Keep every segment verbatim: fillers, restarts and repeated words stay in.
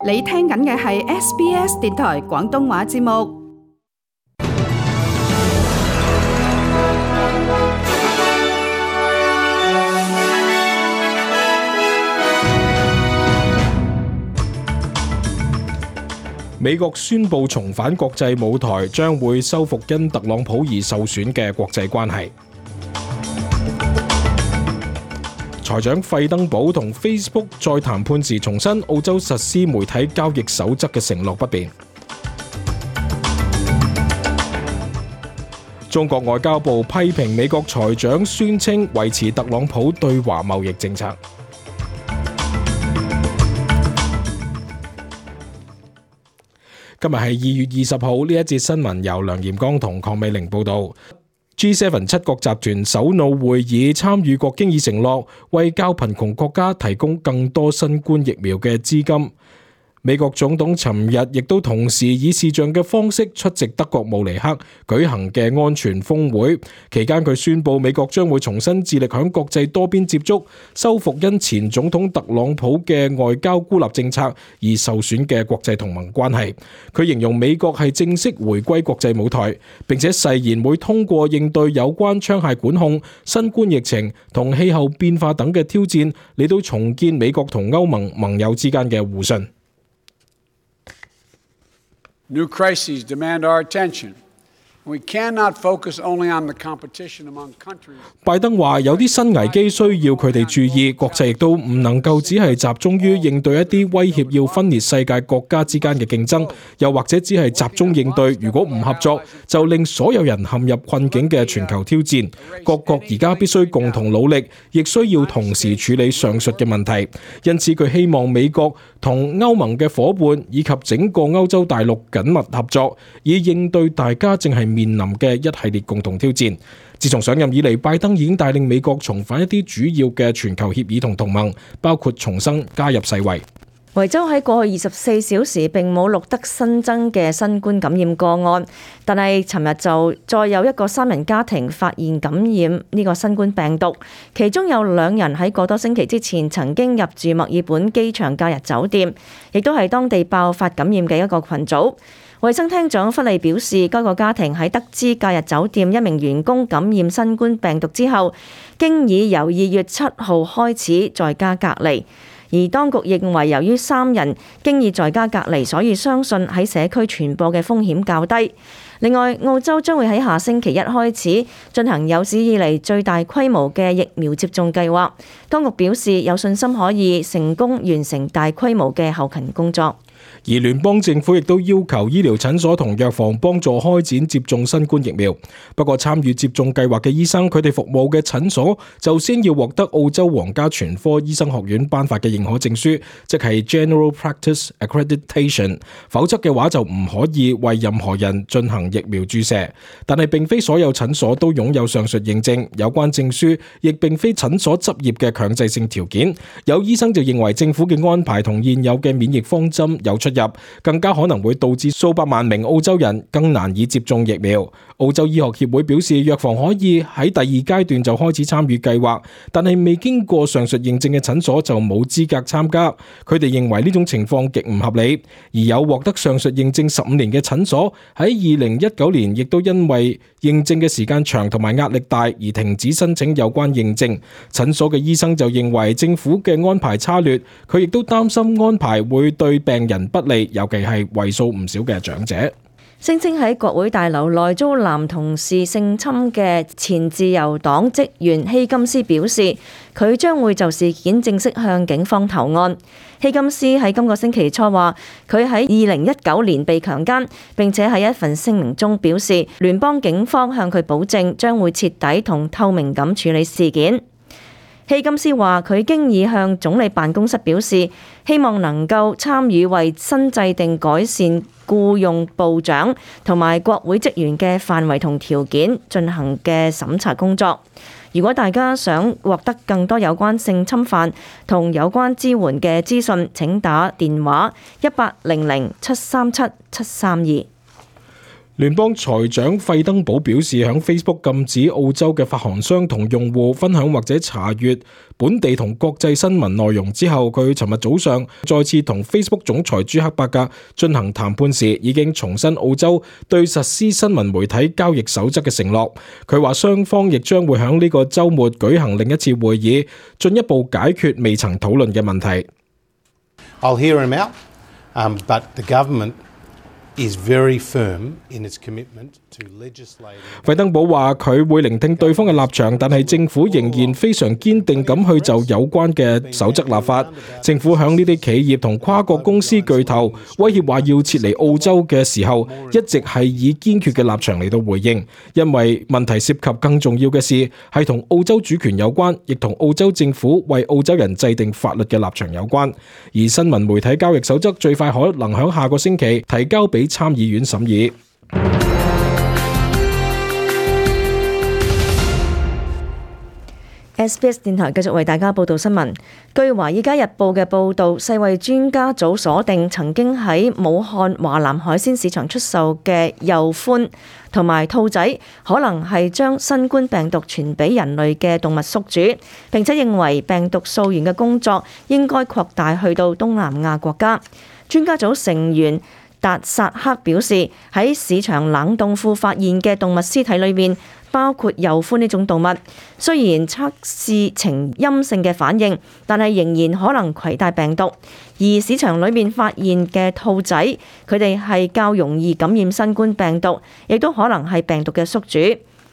你聽緊嘅係 S B S 電台廣東話節目。美國宣布重返國際舞台，將會修復因特朗普而受損嘅國際關係。財長費登堡同 Facebook 再談判時重申，澳洲實施媒體交易守則嘅承諾不變。中國外交部批評美國財長宣稱維持特朗普對華貿易政策。今日係二月二十號，呢一節新聞由梁炎光同鄺美玲報道。G 七 七國集團首腦會議參與國經已承諾為較貧窮國家提供更多新冠疫苗嘅資金。美國總統尋日亦都同時以視像嘅方式出席德國慕尼黑舉行嘅安全峰會，期間佢宣布美國將會重新致力響國際多邊接觸，修復因前總統特朗普嘅外交孤立政策而受損嘅國際同盟關係。佢形容美國係正式回歸國際舞台，並且誓言會通過應對有關槍械管控、新冠疫情同氣候變化等嘅挑戰，嚟到重建美國同歐盟盟友之間嘅互信。New crises demand our attention. We cannot focus only on the competition among countries. 拜登話有啲新危機需要佢哋注意，國際亦都唔能夠只係集中於應對一啲威脅要分裂世界國家之間嘅競爭，又或者只係集中應對如果唔合作就令所有人陷入困境嘅全球挑戰。各國而家必須共同努力，亦需要同時處理上述嘅問題。因此佢希望美國同歐盟嘅夥伴以及整個歐洲大陸緊密合作，以應對大家正係面臨嘅一系列共同挑戰。自從上任以嚟，拜登已經帶領美國重返一啲主要嘅全球協議同同盟，包括重新加入世衛。維州喺過去二十四小時並冇錄得新增嘅新冠感染個案，但係尋日就再有一個三人家庭發現感染呢個新冠病毒，其中有兩人喺個多星期之前曾經入住墨爾本機場假日酒店，亦都係當地爆發感染嘅一個群組。衛生廳長弗利表示，該個家庭喺得知假日酒店一名員工感染新冠病毒之後，經已由二月七號開始在家隔離。而當局認為，由於三人經已在家隔離，所以相信喺社區傳播嘅風險較低。另外，澳洲將會喺下星期一開始進行有史以嚟最大規模嘅疫苗接種計劃。當局表示有信心可以成功完成大規模嘅後勤工作。而聯邦政府亦都要求醫療診所同藥房幫助開展接種新冠疫苗。不過參與接種計劃嘅醫生，佢哋服務嘅診所就先要獲得澳洲皇家全科醫生學院頒發嘅認可證書，即係 General Practice Accreditation， 否則嘅話就唔可以為任何人進行疫苗注射。但係並非所有診所都擁有上述認證，有關證書亦並非診所執業嘅強制性條件。有醫生就認為政府嘅安排同現有嘅免疫方針有出入，更加可能會導致數百萬名澳洲人更難以接種疫苗。澳洲醫學協會表示，藥房可以喺第二階段就開始參與計劃，但係未經過上述認證嘅診所就冇資格參加。佢哋認為呢種情況極唔合理。而有獲得上述認證十五年嘅診所喺二零一九年亦都因為認證嘅時間長同埋壓力大而停止申請有關認證。診所嘅醫生就認為政府嘅安排差劣，佢亦都擔心安排會對病人不利，尤其係為數唔少嘅長者。聲稱喺國會大樓內遭男同事性侵嘅前自由黨職員希金斯表示，佢將會就事件正式向警方投案。希金斯喺今個星期初話，佢喺二零一九年被強姦，並且喺一份聲明中表示，聯邦警方向佢保證將會徹底同透明咁處理事件。希金斯話，佢經已向總理辦公室表示，希望能夠參與為新制定改善僱用部長同埋國會職員嘅範圍同條件進行嘅審查工作。如果大家想獲得更多有關性侵犯同有關支援嘅資訊，請打電話一八零零七三七七三二。聯邦財長費登堡表示，響 Facebook 禁止澳洲嘅發行商同用戶分享或者查閱本地同國際新聞內容之後，佢尋日早上再次同 Facebook 總裁朱克伯格進行談判時，已經重申澳洲對實施新聞媒體交易守則嘅承諾。佢話雙方亦將會響呢個週末舉行另一次會議，進一步解決未曾討論嘅問題。I'll hear him out, um, but the government is very firm in its commitment to legislating. 費登堡話佢會聆聽對方嘅立場，但係政府仍然非常堅定咁去就有關嘅守則立法。政府響呢啲企業同跨國公司巨頭威脅話要撤離澳洲嘅時候，一直係以堅決嘅立場嚟到回應，因為問題涉及更重要嘅事係同澳洲主權有關，亦同澳洲政府為澳洲人制定法律嘅立場有關。而新聞媒體交易守則最快可能響下個星期提交俾參議院審議。S B S 電台繼續為大家報道新聞。據《華爾街日報》嘅報導，世衛專家組鎖定曾經喺武漢華南海鮮市場出售嘅鼬獾同埋兔仔，可能係將新冠病毒傳俾人類嘅動物宿主，並且認為病毒溯源嘅工作應該擴大去到東南亞國家。專家組成員達薩克表示，喺市場冷凍庫發現嘅動物屍體裏面，包括鼬獾呢種動物，雖然測試呈陰性嘅反應，但係仍然可能攜帶病毒。而市場裏面發現嘅兔仔，佢哋係較容易感染新冠病毒，亦都可能係病毒嘅宿主。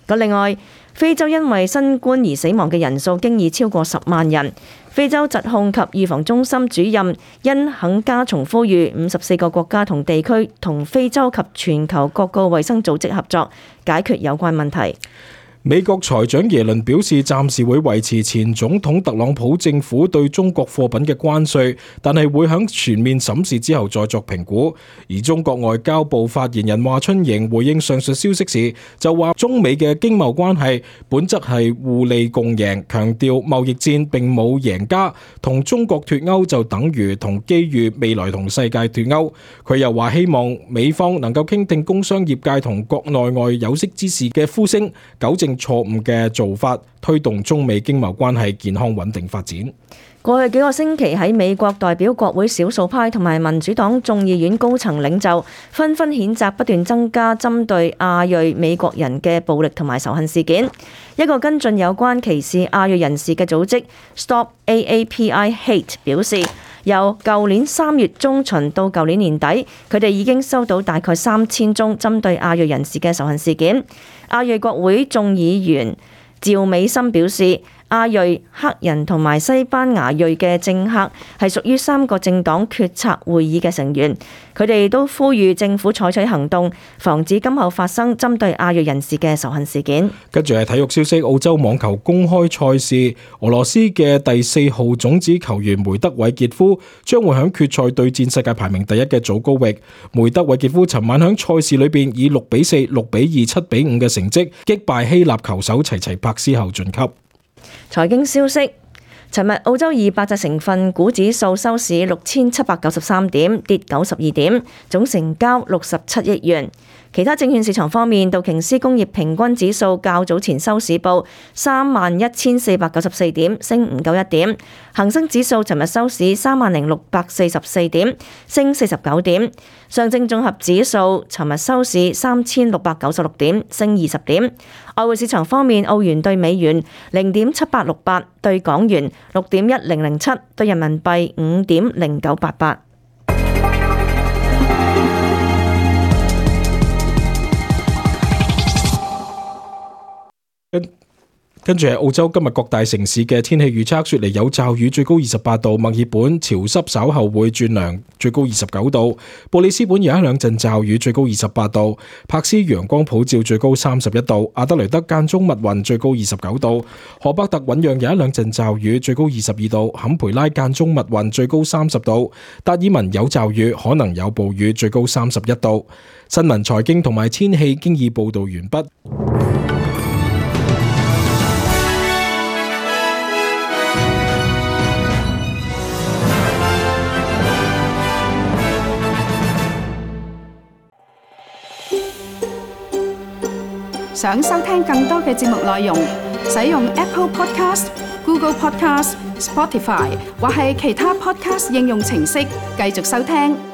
咁另外，非洲因為新冠而死亡嘅人數經已超過十萬人。非洲疾控及預防中心主任因肯加松呼籲五十四個國家同地區同非洲及全球各個衛生組織合作，解決有關問題。美國財長耶倫表示，暫時會維持前總統特朗普政府對中國貨品嘅關稅，但係會喺全面審視之後再作評估。而中國外交部發言人華春瑩回應上述消息時，就話中美嘅經貿關係本質係互利共贏，強調貿易戰並冇贏家，同中國脫鈎就等於同機遇未來同世界脫鈎。佢又話希望美方能夠傾聽工商業界同國內外有識之士嘅呼聲，糾正錯誤嘅做法，推動中美經貿關係健康穩定發展。過去幾個星期喺美國代表國會少數派同埋民主黨眾議院高層領袖紛紛譴責不斷增加針對亞裔美國人嘅暴力同埋仇恨事件。一個跟進有關歧視亞裔人士嘅組織 Stop A A P I Hate 表示，由舊年三月中旬到舊年年底，佢哋已經收到大概三千宗針對亞裔人士嘅仇恨事件。亞裔國會眾議員趙美心表示，亞裔、黑人同埋西班牙裔嘅政客係屬於三個政黨決策會議嘅成員，佢哋都呼籲政府採取行動，防止今後發生針對亞裔人士嘅仇恨事件。跟住係體育消息，澳洲網球公開賽事，俄羅斯嘅第四號種子球員梅德韋傑夫將會喺決賽對戰世界排名第一嘅祖高域。梅德韋傑夫尋晚喺賽事裏邊以六比四、六比二、七比五嘅成績擊敗希臘球手齊齊柏斯後晉級。財經消息，尋日澳洲二百隻成分股指數收市六千七百九十三點，跌九十二點，總成交六十七億元。其他證券市場方面，道瓊斯工業平均指數較早前收市報三萬一千四百九十四點，升唔夠一點。恒生指數尋日收市三萬零六百四十四點，升四十九點。上證綜合指數尋日收市三千六百九十六點，升二十點。外匯市場方面，澳元對美元零點七八六八，對港元六點一零零七，對人民幣五點零九八八。跟住係澳洲今日各大城市嘅天氣預測，雪梨有驟雨，最高二十八度；墨爾本潮濕稍後會轉涼，最高二十九度；布里斯本有一兩陣驟雨，最高二十八度；柏斯陽光普照，最高三十一度；阿德雷德間中密雲，最高二十九度；荷伯特醞釀有一兩陣驟雨，最高二十二度；坎培拉間中密雲，最高三十度；達爾文有驟雨，可能有暴雨，最高三十一度。新聞、財經同埋天氣經已報道完畢。想收聽更多嘅節目內容，使用 Apple Podcast、Google Podcast、Spotify 或係其他 Podcast 應用程式繼續收聽。